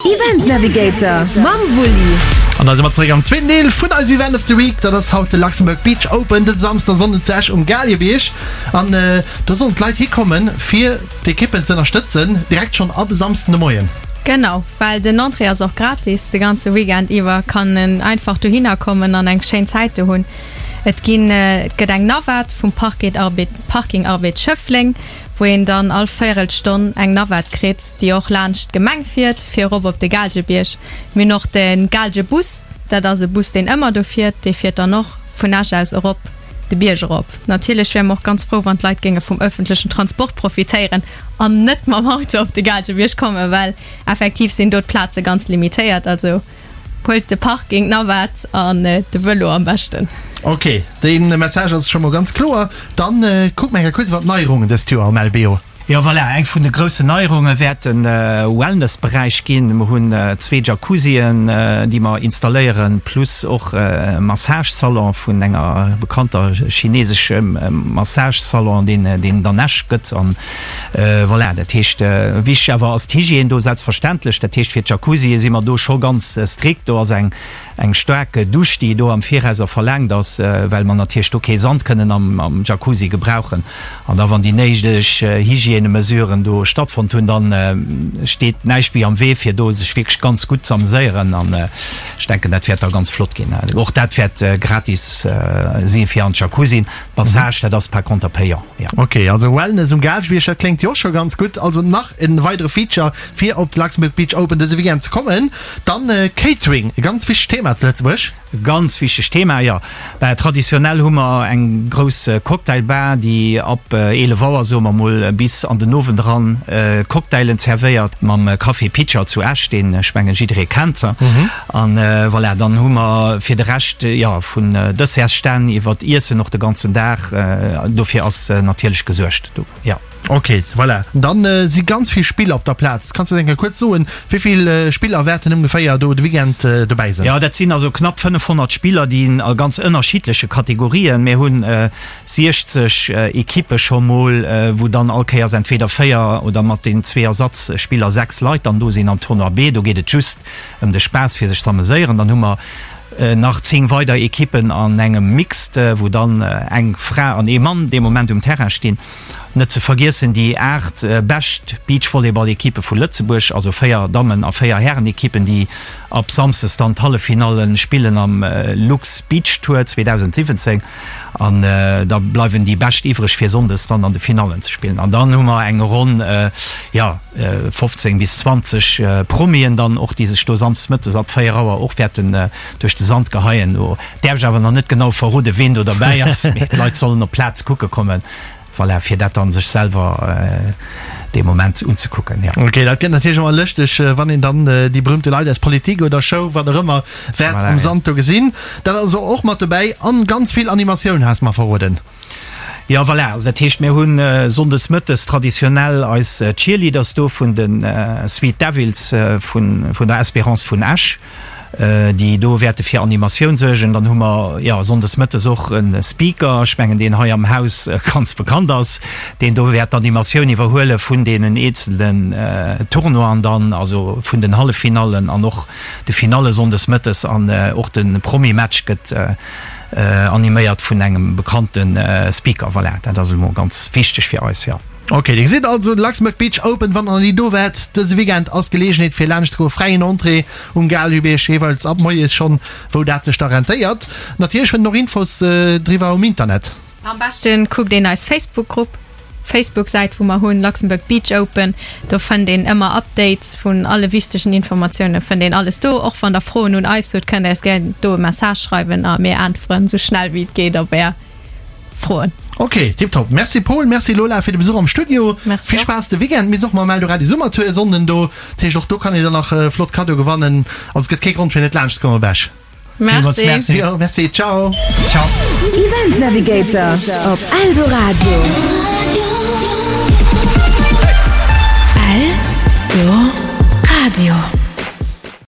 Event Navigator mam Wulli. An da si mer zeréck am zweeten Deel vun eisem Event of the Week. Dat ass haut de Luxembourg Beach Open, dëse Samsden a Sonnden zu Esch um Gaalgebierg. An do sollen d'Leit hikommen, fir d'Ekippen ze ënnerstëtzen, direkt schonn ab e Samsden de Moien. Genau, well den Entrée ass och gratis. De ganze Weekend iwwer kann en einfach dohinner kommen an eng schéin Zäit do hunn. Et ginn, et gëtt eng Navette vum Parking Parking Arbed Schëffleng, wou een dann all Véierelstonn eng Navette kritt, déi och laanscht d'Gemeng fiert, fir erop op de Gaalgebierg. Mir hunn och de Gaalgebus, dat ass e Bus, deen ëmmer do fiert, dee fiert dann och vun Esch aus erop de Bierg erop. Natierlech wäre mer och ganz frou, wann d'Leit géinge vum ëffentlechen Transport profitéieren an net mam Auto op de Gaalgebierg kommen, well effektiv sinn do d'Plaze ganz limitéiert. Also huelt de Parking, d'Navette an de Vëlo am beschten. Ok, de Message ass scho mol ganz kloer. Dann kucke mer eng Kéier kuerz iwwer d'Neierungen dëst Joer am LBO. Jo voilà, eng vun de groussen Neierunge wäert de Wellnessberäich ginn. Mer hunn zwee Jacuzzien, déi mer installéieren, plus och e Massagesalon vun enger bekannter chineseschem Massagesalon, deen et an Esch gëtt. An voilà, dat heescht, wichteg awer ass d'Hygiène do selbstverständlech. Dat heescht, fir d'Jacuzzie si mer do scho ganz strikt. Do ass eng Eng staark Dusch, déi do am Viraus och verlaangt ass, well mer natierlech do kee Sand kënnen am Jacuzzi gebrauchen. An da wann déi néideg Hygiènemesuren do stattfonnt hunn, dann steet näischt méi am Wee, fir do sech wierklech ganz gutt z'ameséieren. An ech denken, dat wäert da ganz flott ginn. Och dat wäert gratis si fir an d'Jacuzzien. D'Massage, dat ass par conter payant, jo. Ok, also Wellness um Gaalgebierg, dat kléngt jo och scho ganz gutt. Also nach e weidere Feature, fir op d'Luxembourg Beach Open dëse Weekend ze kommen. Dann Catering, e ganz wichtegt Thema zu Lëtzebuerg. E ganz wichtegt Thema, jo. Bah, traditionell hu mer eng grouss Cocktailbar, déi ab 11 Auer, soe mer mol, bis an den Owend eran Cocktailen zerwéiert, mam Café Pitcher zu Esch, deen, ech mengen, jidderee kennt. An voilà, dann hu mer fir de Rescht, jo, vun Dessertsstänn iwwert Iessen och de ganzen Dag, dofir ass natierlech gesuergt do, jo. Ok, voilà. Dann si ganz vill Spiller op der Plaz. Kanns de eng Kéier kuerz soen, wéi vill Spiller wäerten ëmgeféier do de Weekend dobäi sinn? Jo, dat sinn also knapp 500 Spiller, déi a ganz ënnerschiddleche Kategorien. Mir hunn 60 Ekippe scho mol, wou dann all Kéiers entweder 4 oder mat den zwee Ersatzspiller 6 Leit dann do sinn am Tournoi B. Do geet et just ëm de Spaass, fir sech z'ameséieren. Dann hu mer nach 10 weider Ekippen an engem Mixed, wou dann eng Fra an ee Mann dee Moment um Terrain stinn. Net ze vergiessen déi 8 bescht Beachvolleyball-Ekippe vu Lëtzebuerg, also 4 Dammen a 4 Hären-Ekippen, déi ab Samsdes dann d'Halleffinalle spillen am Lux Beach Tour 2017. An da bleiwen déi bescht iwwreg fir Sonndes dann an de Finallen ze spillen. An dann hu mer eng ronn, jo, 15 bis 20 Promien dann och, déi sech do Samsdes mëttes ab 4 Auer och wäerten duerch de Sand geheien. Do däerf ech awer nach net genau verroden, ween do derbäi ass, mee d'Leit sollen op d'Plaz kucke kommen, voilà, fir dat dann sech selwer dee Moment unzekucken, jo. Ok, dat gëtt natierlech ëmmer lëschteg, wann een dann déi berühmte Leit aus Politik oder Show, wat och ëmmer, wäert am Sand do gesinn. Dat ass also och mat dobäi an ganz vill Animatioun, has mer verroden. Jo, voilà, also dat heescht, mir hunn sonndes mëttes traditionell eis Cheerleaders do vun de Sweet Devils vun der Espérance vun Esch, déi do wäerte fir Animatioun suergen. Dann hu mer, jo, sonndes mëttes och e Speaker, ech mengen, deen hei am Haus ganz bekannt ass, deen do wäert d'Animatioun iwwerhuele vun deenen eenzelen Tournoien dann, also vun den Halleffinallen an och de Finalle sonndes mëttes. An och de Promi-Match gëtt animéiert vun engem bekannte Speaker. Voilà, dat ass elo ganz wichteg fir eis, jo. Ok, dir gesitt also, de Luxembourg Beach Open, wann der nach ni do waart, dëse Weekend ass d'Geleegenheet fir laanscht ze goen, fräien Entrée um Gaalgebierg, jeeweils ab moies schonn, wou dat sech da rentéiert. Natierlech fënnt een och Infos driwwer um Internet. Am beschten kuckt een eis Facebook-Grupp, Facebook-Säit wou mer hunn, Luxembourg Beach Open, do fënnt een ëmmer Updates vun alle wichtegen Informatiounen, fënnt een alles do. Och wann der Froen un eis hutt, kënnt der eis gär do e Message schreiwen a mir äntweren esou schnell wéi et geet op är Froen. Ok, tiptop. Merci Paul, merci Lola fir de Besuch am Studio. Merci Vill och. Spaass de Weekend. Mir si och mam Eldoradio Summertour e Sonnden do. Dat heescht och do kann een dann nach flott Cadeau gewannen. Also et gëtt kee Grond fir net laanscht ze kommen op Esch. Villmools Merci. Merci. Jo, merci. Ciao. Ciao. Event Navigator op Eldoradio. Eldoradio.